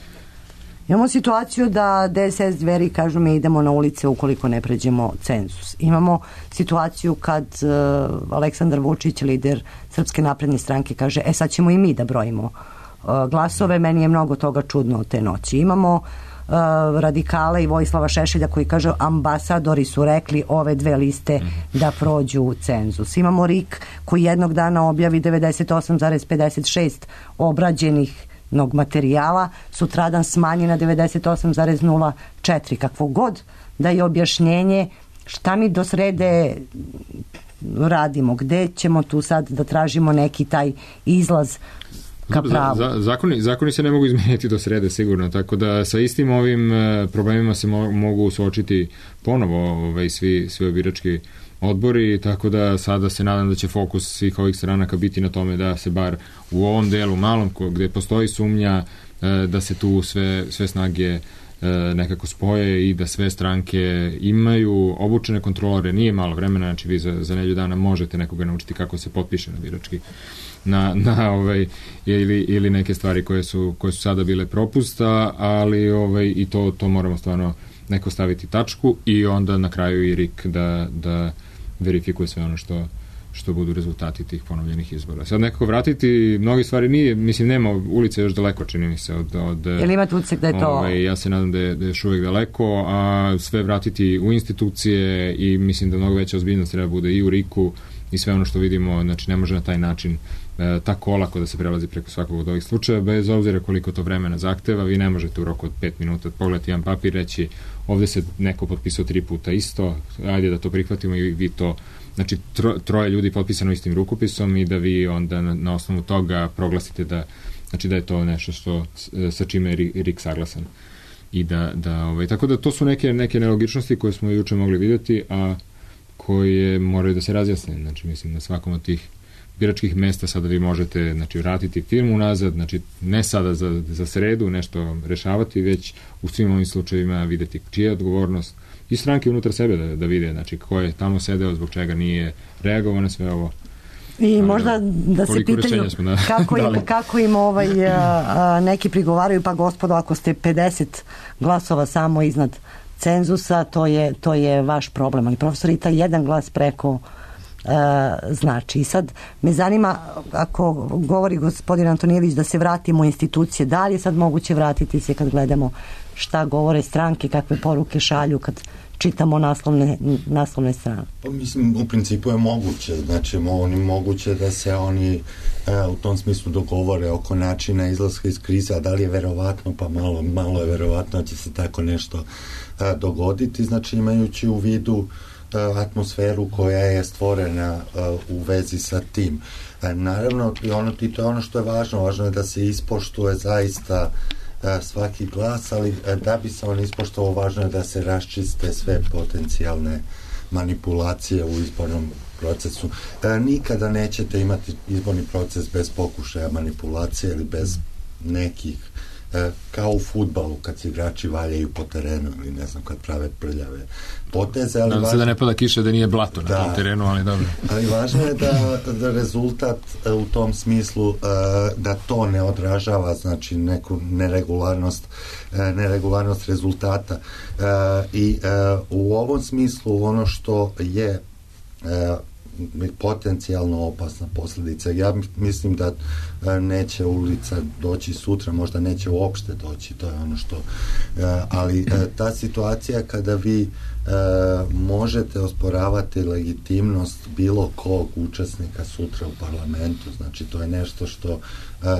Imamo situaciju da D S S Dveri kažu mi idemo na ulice ukoliko ne pređemo cenzus. Imamo situaciju kad uh, Aleksandar Vučić, lider Srpske napredne stranke, kaže e sad ćemo i mi da brojimo uh, glasove. Meni je mnogo toga čudno od te noći. Imamo Uh, radikala i Vojislava Šešelja koji kaže ambasadori su rekli ove dve liste da prođu u cenzus. Imamo R I K koji jednog dana objavi devedeset osam zarez pedeset šest obrađenih materijala, sutradan smanji na devedeset osam zarez nula četiri. Kakvo god da je objašnjenje, šta mi do srede radimo, gde ćemo tu sad da tražimo neki taj izlaz ka pravu.
Za, zakoni, zakoni se ne mogu izmeniti do srede sigurno, tako da sa istim ovim e, problemima se mo, mogu suočiti ponovo ovaj, svi, svi birački odbori, tako da sada se nadam da će fokus svih ovih stranaka biti na tome da se bar u ovom delu malom gde postoji sumnja e, da se tu sve, sve snage nekako spoje i da sve stranke imaju obučene kontrolore, nije malo vremena, znači vi za, za nedelju dana možete nekoga naučiti kako se potpiše na birački na, na ovaj, ili, ili neke stvari koje su, koje su sada bile propusta, ali ovaj, i to, to moramo stvarno neko staviti tačku i onda na kraju i R I K da, da verifikuje sve ono što što budu rezultati tih ponovljenih izbora. Sad nekako vratiti, mnogi stvari nije, mislim, nema ulice još daleko, čini mi se od... od
Jel imate utisak da je to...
Ovaj, ja se nadam da je, da je još uvijek daleko, a sve vratiti u institucije i mislim da mnogo veća ozbiljnost treba bude i u R I K-u i sve ono što vidimo, znači ne može na taj način e, tako olako da se prelazi preko svakog od ovih slučaja, bez obzira koliko to vremena zahteva, vi ne možete u roku od pet minuta pogledati jedan papir, reći ovde se neko potpisao tri puta isto, ajde da to prihvatimo i vi to. Znači, tro, troje ljudi potpisano istim rukopisom i da vi onda na, na osnovu toga proglasite da, znači da je to nešto što, sa čime je R I K saglasan. I da, da, ovaj, tako da to su neke, neke nelogičnosti koje smo juče mogli vidjeti, a koje moraju da se razjasne. Znači, mislim, na svakom od tih biračkih mesta sada vi možete, znači, vratiti firmu nazad, znači, ne sada za, za sredu nešto rešavati, već u svim ovim slučajevima vidjeti čija je odgovornost i stranke unutar sebe da, da vide, znači, ko je tamo sedeo, zbog čega nije reagovao na sve ovo.
I možda da se pitaju
da,
kako, im, kako im ovaj, a, neki prigovaraju, pa gospodo, ako ste pedeset glasova samo iznad cenzusa, to je, to je vaš problem. Ali profesor, i taj jedan glas preko a, znači. I sad me zanima, ako govori gospodin Antonijević da se vratimo u institucije, da li je sad moguće vratiti se kad gledamo šta govore stranke, kakve poruke šalju kad čitamo naslovne, naslovne strane?
Pa mislim, u principu je moguće, znači oni moguće da se oni e, u tom smislu dogovore oko načina izlaska iz krize, a da li je verovatno, pa malo, malo je verovatno da će se tako nešto e, dogoditi, znači imajući u vidu e, atmosferu koja je stvorena e, u vezi sa tim. E, naravno, i ono, i to je ono što je važno, važno je da se ispoštuje zaista svaki glas, ali da bi se on ispoštovao, važno je da se raščiste sve potencijalne manipulacije u izbornom procesu. E, nikada nećete imati izborni proces bez pokušaja manipulacije ili bez nekih, e, kao u fudbalu kad se igrači valjaju po terenu ili ne znam, kad prave prljave poteze. Ali
nadam se da ne pada kiša, da nije blato na
da,
tom terenu, ali dobro.
Ali važno je da, da rezultat u tom smislu da to ne odražava, znači neku neregularnost neregularnost rezultata i u ovom smislu ono što je potencijalno opasna posljedica. Ja mislim da neće ulica doći sutra, možda neće uopšte doći, to je ono što, ali ta situacija kada vi možete osporavati legitimnost bilo kog učesnika sutra u parlamentu, znači to je nešto što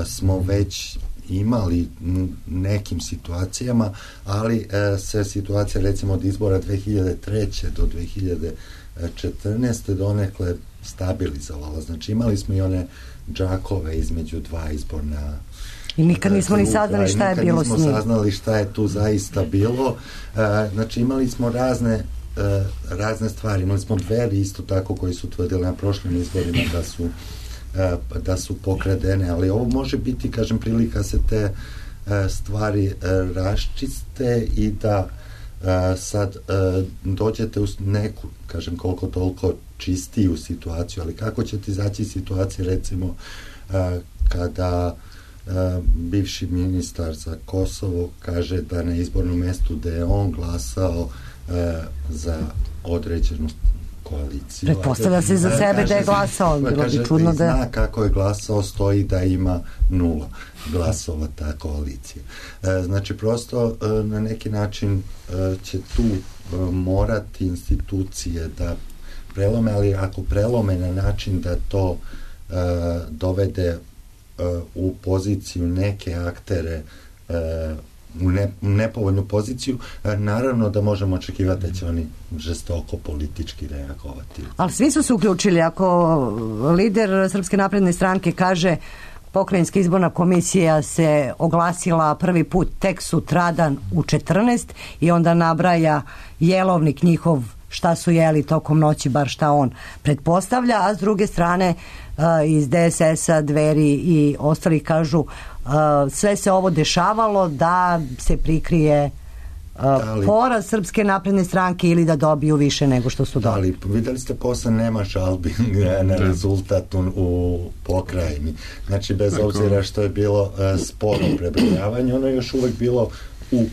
smo već imali nekim situacijama, ali se situacija recimo od izbora dve hiljade treće do dve hiljade četrnaeste donekle stabilizovala. Znači imali smo i one džakove između dva izborna
i nikad nismo ni saznali šta je bilo s njim.
Nikad nismo saznali šta je tu zaista bilo. Znači imali smo razne razne stvari. Imali smo Dveri isto tako koji su tvrdili na prošlim izborima da su da su pokradene, ali ovo može biti, kažem, prilika se te stvari raščiste i da sad dođete u neku, kažem, koliko toliko čistiju situaciju, ali kako ćete izaći iz situacije, recimo, kada bivši ministar za Kosovo kaže da na izbornom mestu da je on glasao za određenu koaliciju.
Pretpostavlja se za sebe da je glasao, bilo bi čudno da...
Zna kako je glasao, stoji da ima nula glasova ta koalicija. Znači, prosto na neki način će tu morati institucije da prelome, ali ako prelome na način da to dovede u poziciju neke aktere u ne, nepovoljnu poziciju, naravno da možemo očekivati da će oni žestoko politički reagovati.
Ali svi su se uključili. Ako lider Srpske napredne stranke kaže Pokrajinska izborna komisija se oglasila prvi put tek sutradan u četrnaest i onda nabraja jelovnik njihov šta su jeli tokom noći, bar šta on pretpostavlja, a s druge strane iz D S S-a, Dveri i ostali kažu sve se ovo dešavalo da se prikrije uh, poraz Srpske napredne stranke ili da dobiju više nego što su dobili.
Ali videli ste posle nema žalbi na rezultat u, u pokrajini. Znači bez
Tako.
obzira što je bilo uh, sporo prebrojavanje, ono je još uvek bilo u uh,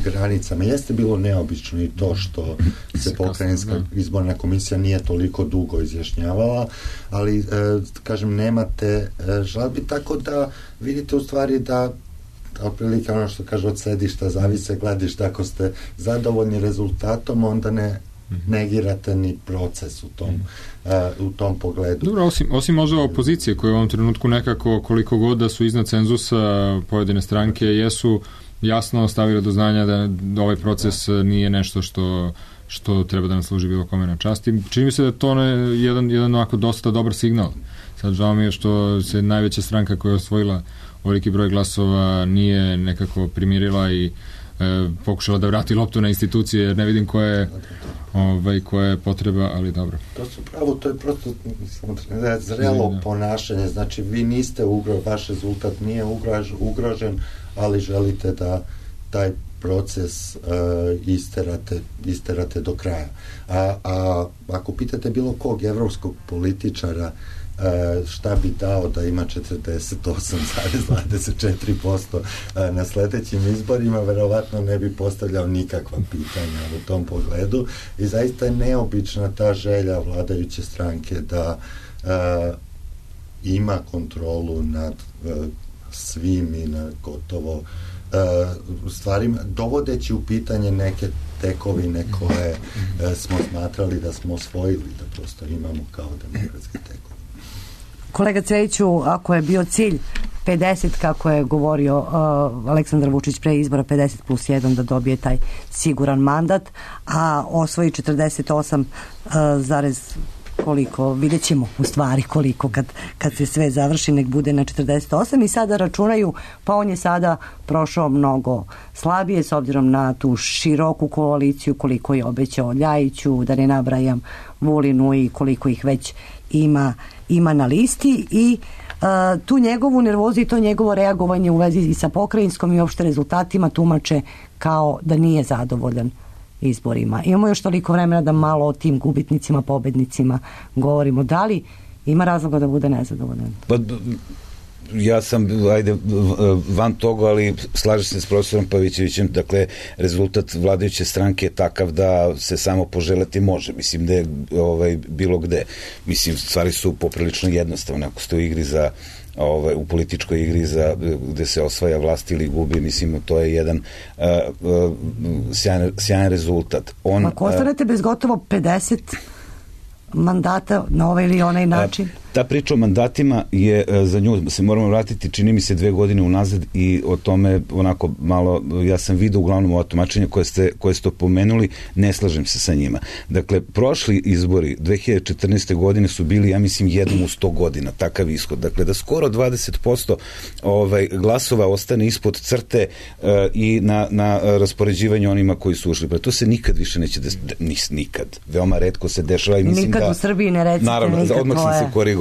granicama. Jeste bilo neobično i to što se pokrajinska izborna komisija nije toliko dugo izjašnjavala, ali uh, kažem nemate uh, žalbi, tako da vidite u stvari da otprilike ono što kaže od sedišta zavise gledišta, ako ste zadovoljni rezultatom onda ne negirate ni proces u tom, uh, u tom pogledu.
Dobro, osim, osim možda opozicije koje u ovom trenutku nekako koliko god da su iznad cenzusa pojedine stranke jesu jasno stavili do znanja da, da ovaj proces nije nešto što što treba da nam služi bilo kome na čast. I čini mi se da je to ne, jedan, jedan ovako dosta dobar signal. Sad žao mi je što se najveća stranka koja je osvojila ovoliki broj glasova nije nekako primirila i e, pokušala da vrati loptu na institucije, jer ne vidim koja je, ovaj, koja je potreba, ali dobro.
To su pravo, to je prosto zrelo ponašanje, znači vi niste ugrožen, vaš rezultat nije ugrož, ugrožen, ali želite da taj proces uh, isterate, isterate do kraja. A, a ako pitate bilo kog evropskog političara Uh, šta bi dao da ima četrdeset osam zarez dvadeset četiri posto uh, na sledećim izborima, verovatno ne bi postavljao nikakva pitanja u tom pogledu i zaista je neobična ta želja vladajuće stranke da uh, ima kontrolu nad uh, svim i nad gotovo uh, stvarima, dovodeći u pitanje neke tekovine koje uh, smo smatrali da smo osvojili, da prosto imamo kao demokratske tekovine.
Kolega Cvejiću, ako je bio cilj pedeset, kako je govorio uh, Aleksandar Vučić pre izbora, pedeset plus jedan da dobije taj siguran mandat, a osvoji četrdeset osam uh, zarez koliko, vidjet ćemo u stvari koliko kad, kad se sve završi, nek bude na četrdeset osam i sada računaju, pa on je sada prošao mnogo slabije s obzirom na tu široku koaliciju koliko je obećao Ljajiću, da ne nabrajam Vulinu i koliko ih već ima ima na listi i uh, tu njegovu nervozu i to njegovo reagovanje u vezi i sa pokrajinskom i uopšte rezultatima tumače kao da nije zadovoljan izborima. Imamo još toliko vremena da malo o tim gubitnicima, pobednicima govorimo. Da li ima razloga da bude nezadovoljan?
Pa, ja sam, ajde, van toga, ali slažem se s profesorom Pavićevićem, dakle, rezultat vladajuće stranke je takav da se samo poželeti može, mislim da je ovaj, bilo gde. Mislim, stvari su poprilično jednostavne, ako ste u igri za ovaj, u političkoj igri za, gde se osvaja vlast ili gubi, mislim, to je jedan uh, uh, sjajan, sjajan rezultat. On,
ako ostanete bez gotovo pedeset mandata na ovaj ili onaj način?
Ta priča o mandatima je, za nju se moramo vratiti, čini mi se dve godine unazad i o tome onako malo, ja sam vidio uglavnom ova tumačenja koje ste, koje ste pomenuli, ne slažem se sa njima. Dakle, prošli izbori dve hiljade četrnaeste. godine su bili, ja mislim, jednom u sto godina, takav ishod. Dakle, da skoro dvadeset posto ovaj, glasova ostane ispod crte uh, i na, na raspoređivanje onima koji su ušli. Pa to se nikad više neće desiti, nikad. Veoma retko se dešava i mislim
nikad
da...
u Srbiji ne recite
naravno,
nikad.
Odmah sam se korigao.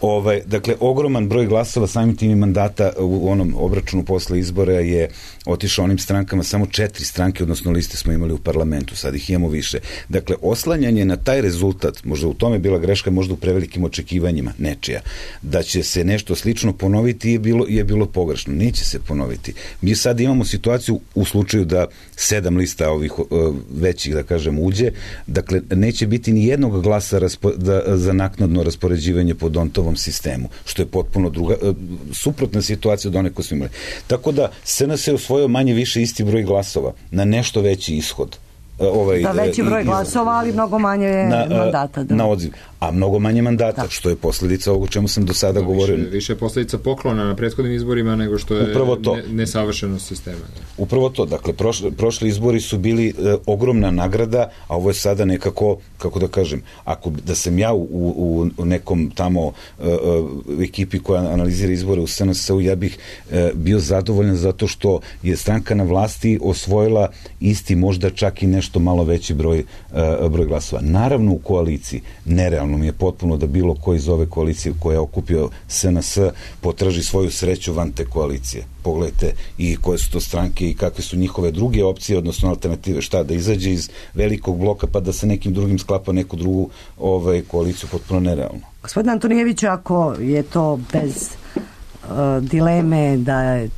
Ovaj, dakle, ogroman broj glasova samim tim i mandata u onom obračunu posle izbora je otišao onim strankama, samo četiri stranke, odnosno liste smo imali u parlamentu, sad ih imamo više. Dakle, oslanjanje na taj rezultat, možda u tome bila greška, možda u prevelikim očekivanjima nečija, da će se nešto slično ponoviti je bilo, je bilo pogrešno. Neće se ponoviti. Mi sad imamo situaciju u slučaju da sedam lista ovih uh, većih, da kažem, uđe, dakle, neće biti ni jednog glasa raspo, da, za naknadno raspoređivanje po Dontovom sistemu, što je potpuno druga, uh, suprotna situacija od one koje smo imali. Tako da S N S je osvojio manje više isti broj glasova na nešto veći ishod. Ovaj,
da, veći broj glasova, ali mnogo manje na, mandata. Da.
Na odziv. A mnogo manje mandata, da. Što je posledica ovog o čemu sam do sada da, govorio.
Više, više je posledica poklona na prethodnim izborima nego što je ne, nesavršenost sistema. Da.
Upravo to. Dakle, prošli, prošli izbori su bili e, ogromna nagrada, a ovo je sada nekako, kako da kažem, ako da sam ja u, u, u nekom tamo e, e, ekipi koja analizira izbore u S N S-u, ja bih e, bio zadovoljan zato što je stranka na vlasti osvojila isti, možda čak i nešto malo veći broj, e, broj glasova. Naravno u koaliciji, nerealno nerealno mi je potpuno da bilo ko iz ove koalicije koja je okupio S N S potraži svoju sreću van te koalicije. Pogledajte i koje su to stranke i kakve su njihove druge opcije, odnosno alternative, šta, da izađe iz velikog bloka pa da sa nekim drugim sklapa neku drugu ovaj, koaliciju, potpuno nerealno.
Gospodin Antonijević, ako je to bez uh, dileme da je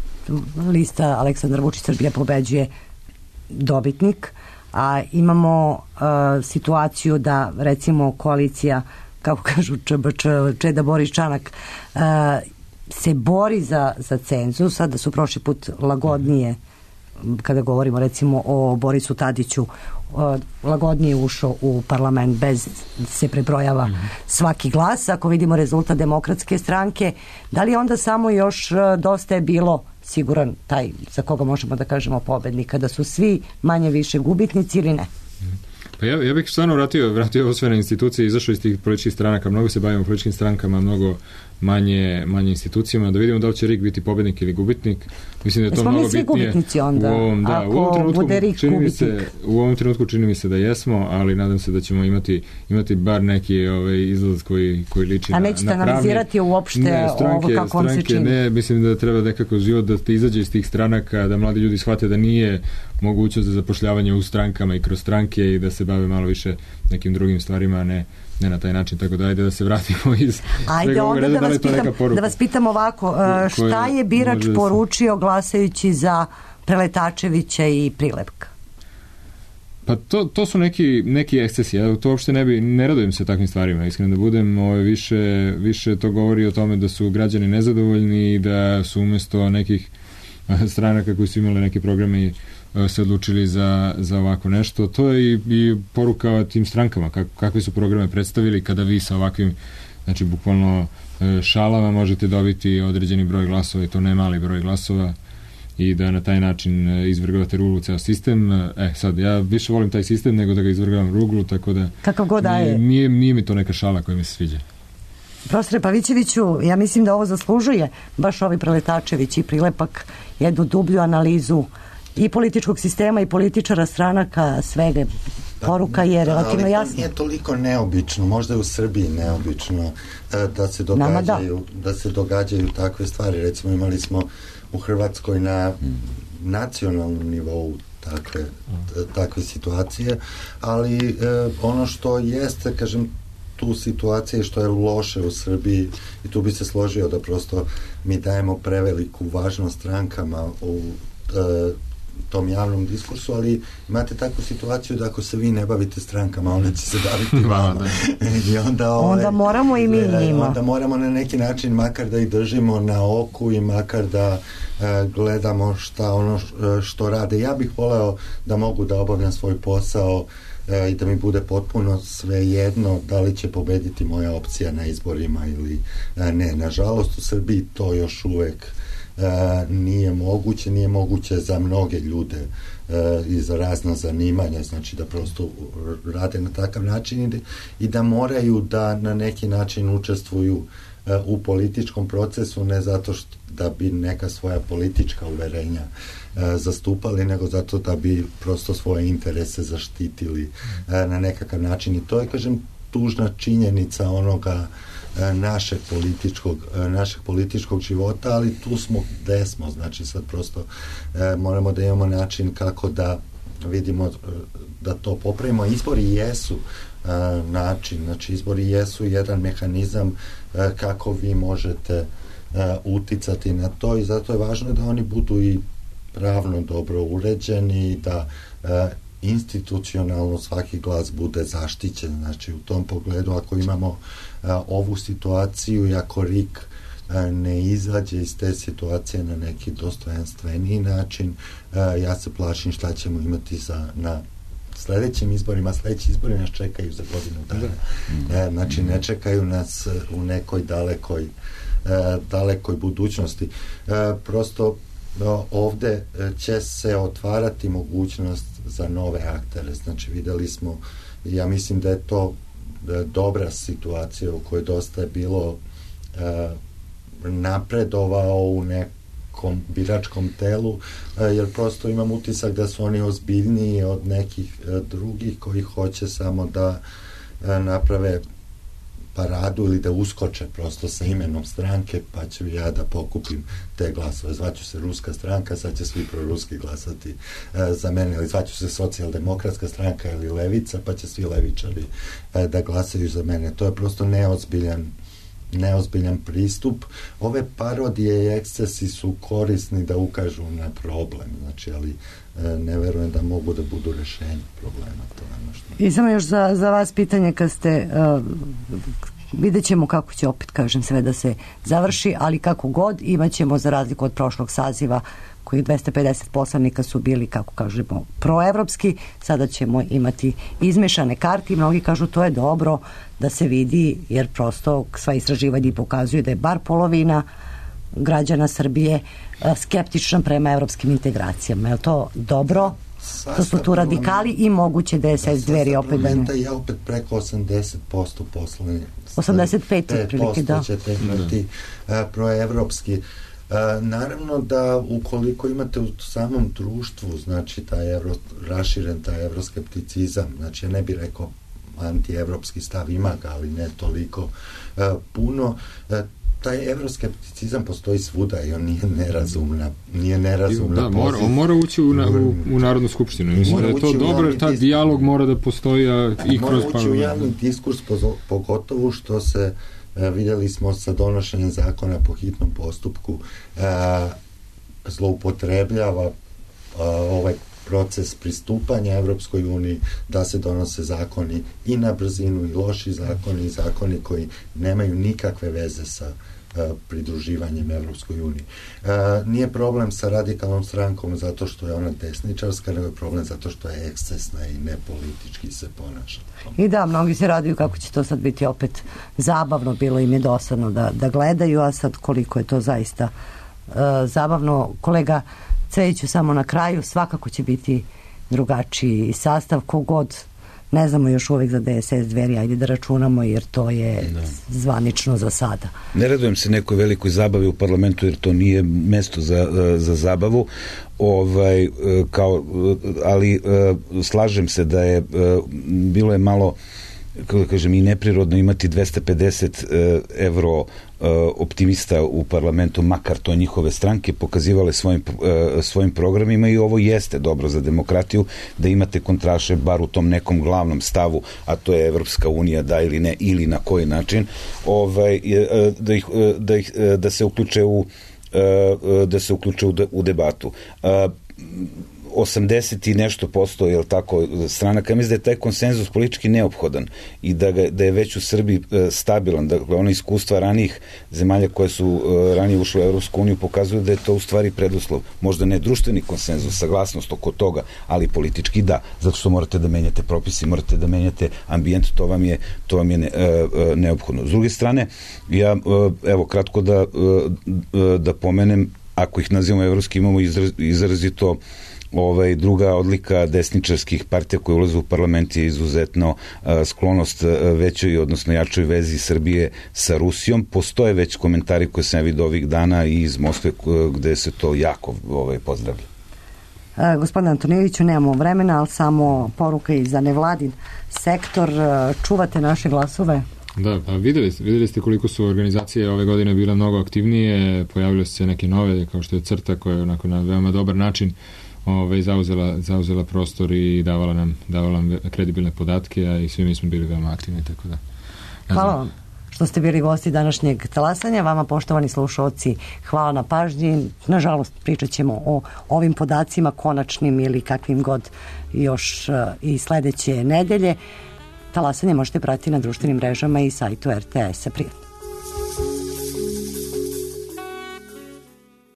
lista Aleksandar Vučić Srbija pobeđuje dobitnik, a imamo uh, situaciju da recimo koalicija, kako kažu Č B Č, Čeda Boris Čanak, uh, se bori za, za cenzus, a da su prošli put lagodnije, kada govorimo recimo o Borisu Tadiću, uh, lagodnije ušao u parlament bez se prebrojava svaki glas. Ako vidimo rezultat Demokratske stranke, da li onda samo još uh, dosta je bilo siguran taj za koga možemo da kažemo pobednika, da su svi manje više gubitnici ili ne?
Pa ja, ja bih stvarno vratio, vratio ovo sve na institucije, izašao iz tih političkih stranaka, mnogo se bavimo političkim strankama, mnogo manje, manje institucijama, da vidimo da li će R I K biti pobednik ili gubitnik. Mislim da je to
Smo
mnogo
mi svi
bitnije.
Gubitnici onda,
u ovom, da,
ako
u ovom trenutku,
bude R I K
čini mi
gubitnik.
se, u ovom trenutku čini mi se da jesmo, ali nadam se da ćemo imati, imati bar neki ovaj, izlaz koji, koji liči
A
na,
nećete
na pravni.
analizirati uopšte
ne, stranke,
ovo kako vam se
stranke,
čini?
Ne, mislim da treba nekako život da te izađe iz tih stranaka, da mladi ljudi shvate da nije mogućnost za zapošljavanje u strankama i kroz stranke i da se bave malo više nekim drugim stvarima, a ne ne na taj način, tako da ajde da se vratimo iz
Ajde
svega
onda
ovoga,
da
da
vas, pitam, da vas pitam ovako, uh, šta je birač
može da se-
poručio glasajući za Preletačevića i Prilepka?
Pa to, to su neki, neki ekscesi, ja to uopšte ne bi, ne radujem se takvim stvarima, iskreno da budem, ovaj, više, više to govori o tome da su građani nezadovoljni i da su umjesto nekih eh, stranaka koji su imali neke programe eh, se odlučili za, za ovako nešto. To je i, i poruka tim strankama, kak, kakve su programe predstavili kada vi sa ovakvim, znači bukvalno eh, šalama možete dobiti određeni broj glasova i to ne mali broj glasova i da na taj način e, izvrgavate ruglu ceo sistem. E, sad, ja više volim taj sistem nego da ga izvrgavam ruglu, tako da
Kakav god da
nije,
je.
nije, nije mi to neka šala koja mi se sviđa.
Profesore Pavićeviću, ja mislim da ovo zaslužuje baš ovi Preletačević i Prilepak jednu dublju analizu i političkog sistema i političara, stranaka, svega. Poruka je relativno
ali
jasna.
Nije toliko neobično, možda je u Srbiji neobično e, da se
Nama da.
događaju da se događaju takve stvari. Recimo imali smo u Hrvatskoj na nacionalnom nivou takve, takve situacije, ali e, ono što jeste, kažem, tu situacije što je loše u Srbiji i tu bi se složio da prosto mi dajemo preveliku važnost strankama u e, tom javnom diskursu, ali imate takvu situaciju da ako se vi ne bavite strankama, onda će se baviti vama. I onda, ovaj,
Onda moramo i mi njima.
Onda moramo na neki način makar da ih držimo na oku i makar da e, gledamo šta ono š- što rade. Ja bih voleo da mogu da obavljam svoj posao e, i da mi bude potpuno svejedno da li će pobediti moja opcija na izborima ili e, ne. Nažalost, u Srbiji to još uvek e, nije moguće, nije moguće za mnoge ljude e, i za razna zanimanja, znači da prosto rade na takav način i da, i da moraju da na neki način učestvuju e, u političkom procesu, ne zato što da bi neka svoja politička uverenja e, zastupali, nego zato da bi prosto svoje interese zaštitili e, na nekakav način. I to je, kažem, tužna činjenica onoga e, našeg političkog, e, našeg političkog života, ali tu smo gde smo, znači sad prosto e, moramo da imamo način kako da vidimo e, da to popravimo. Izbori jesu e, način, znači izbori jesu jedan mehanizam e, kako vi možete Uh, uticati na to i zato je važno da oni budu i pravno dobro uređeni, da uh, institucionalno svaki glas bude zaštićen. Znači u tom pogledu ako imamo uh, ovu situaciju i ako R I K uh, ne izađe iz te situacije na neki dostojanstveniji način, uh, ja se plašim šta ćemo imati za, na sledećim izborima. Sledeći izbori nas čekaju za godinu dana. Da. Uh, znači ne čekaju nas u nekoj dalekoj E, dalekoj budućnosti. E, prosto e, ovde će se otvarati mogućnost za nove aktere. Znači videli smo, ja mislim da je to da je dobra situacija u kojoj dosta je bilo e, napredovao u nekom biračkom telu, e, jer prosto imam utisak da su oni ozbiljniji od nekih e, drugih koji hoće samo da e, naprave paradu ili da uskoče prosto sa imenom stranke, pa ću ja da pokupim te glasove. Zvaću se Ruska stranka, sad će svi proruski glasati e, za mene, ili zvaću se Socijaldemokratska stranka ili Levica, pa će svi levičari e, da glasaju za mene. To je prosto neozbiljan neozbiljan pristup. Ove parodije i ekscesi su korisni da ukažu na problem, znači, ali e, ne verujem da mogu da budu rešenje problema. To je ono što...
I samo još za, za vas pitanje, kad ste uh, vidjet ćemo kako će, opet kažem, sve da se završi, ali kako god, imat ćemo, za razliku od prošlog saziva koji dvesta pedeset poslanika su bili, kako kažemo, proevropski, sada ćemo imati izmešane karte i mnogi kažu to je dobro da se vidi, jer prosto sva istraživanja pokazuju da je bar polovina građana Srbije skeptična prema evropskim integracijama. Je li to dobro? To su tu radikali i moguće D S S Dveri opet da ne.
Je opet preko osamdeset posto poslani.
osamdeset pet otprilike, da.
Ćete imati proevropski. Naravno da ukoliko imate u samom društvu, znači taj evro, raširen taj evroskepticizam, znači ja ne bih rekao antievropski stav, ima ga, ali ne toliko uh, puno. Uh, taj evroskepticizam postoji svuda i on nije nerazumna, nije nerazumna
da, mora, on mora ući u, na, u, u Narodnu skupštinu. Mislim da je to dobro, jer taj dijalog mora da postoji a, i
mora
kroz
ući
parlament.
u javni diskurs, pogotovo što se uh, vidjeli smo sa donošenjem zakona po hitnom postupku uh, zloupotrebljava uh, ovaj proces pristupanja Evropskoj uniji, da se donose zakoni i na brzinu i loši zakoni i zakoni koji nemaju nikakve veze sa uh, pridruživanjem Evropskoj uniji. Uh, nije problem sa radikalnom strankom zato što je ona desničarska, nego je problem zato što je ekscesna i nepolitički se ponaša.
I da, mnogi se raduju kako će to sad biti opet zabavno, bilo im je dosadno da, da gledaju, a sad koliko je to zaista uh, zabavno. Kolega Cvejiću, samo na kraju, svakako će biti drugačiji sastav, kogod, ne znamo još uvek za D S S Dveri, ajde da računamo, jer to je da. zvanično za sada.
Ne radujem se nekoj velikoj zabavi u parlamentu, jer to nije mesto za, za zabavu, ovaj, kao, ali slažem se da je, bilo je malo, kako da kažem, i neprirodno imati dvesta pedeset evro optimista u parlamentu, makar to njihove stranke pokazivale svojim, svojim programima, i ovo jeste dobro za demokratiju, da imate kontraše bar u tom nekom glavnom stavu, a to je Evropska unija, da ili ne, ili na koji način, ovaj, da, ih, da, ih, da se uključe u da se uključe u, de, u debatu. osamdeset i nešto posto, je li tako, stranaka, mislim da je taj konsenzus politički neophodan i da, ga, da je već u Srbiji e, stabilan. Dakle, ono iskustva ranijih zemalja koje su e, ranije ušle u Evropsku uniju pokazuju da je to u stvari preduslov. Možda ne društveni konsenzus, saglasnost oko toga, ali politički da, zato što morate da menjate propisi, morate da menjate ambijent, to vam je, to vam je ne, e, neophodno. S druge strane, ja, e, evo, kratko da, e, da pomenem, ako ih nazivamo evropski, imamo izraz, izrazito ovaj, druga odlika desničarskih partija koje ulaze u parlament je izuzetno a, sklonost a, većoj, odnosno jačoj vezi Srbije sa Rusijom. Postoje već komentari koje sam vidio ovih dana i iz Moskve gde se to jako ovaj, pozdravlja.
E, gospodine Antonijeviću, nemamo vremena, ali samo poruka i za nevladin sektor. Čuvate naše glasove?
Da, pa videli, videli ste koliko su organizacije ove godine bile mnogo aktivnije, pojavile su se neke nove, kao što je CRTA, koja je onako na veoma dobar način Ove, zauzela, zauzela prostor i davala nam, davala nam kredibilne podatke, a i svi mi smo bili veoma aktivni, tako da.
Hvala vam što ste bili gosti današnjeg talasanja. Vama, poštovani slušalci, hvala na pažnji. Nažalost, pričat ćemo o ovim podacima konačnim ili kakvim god još uh, i sledeće nedelje. Talasanje možete pratiti na društvenim mrežama i sajtu R T S-a. Prijatno.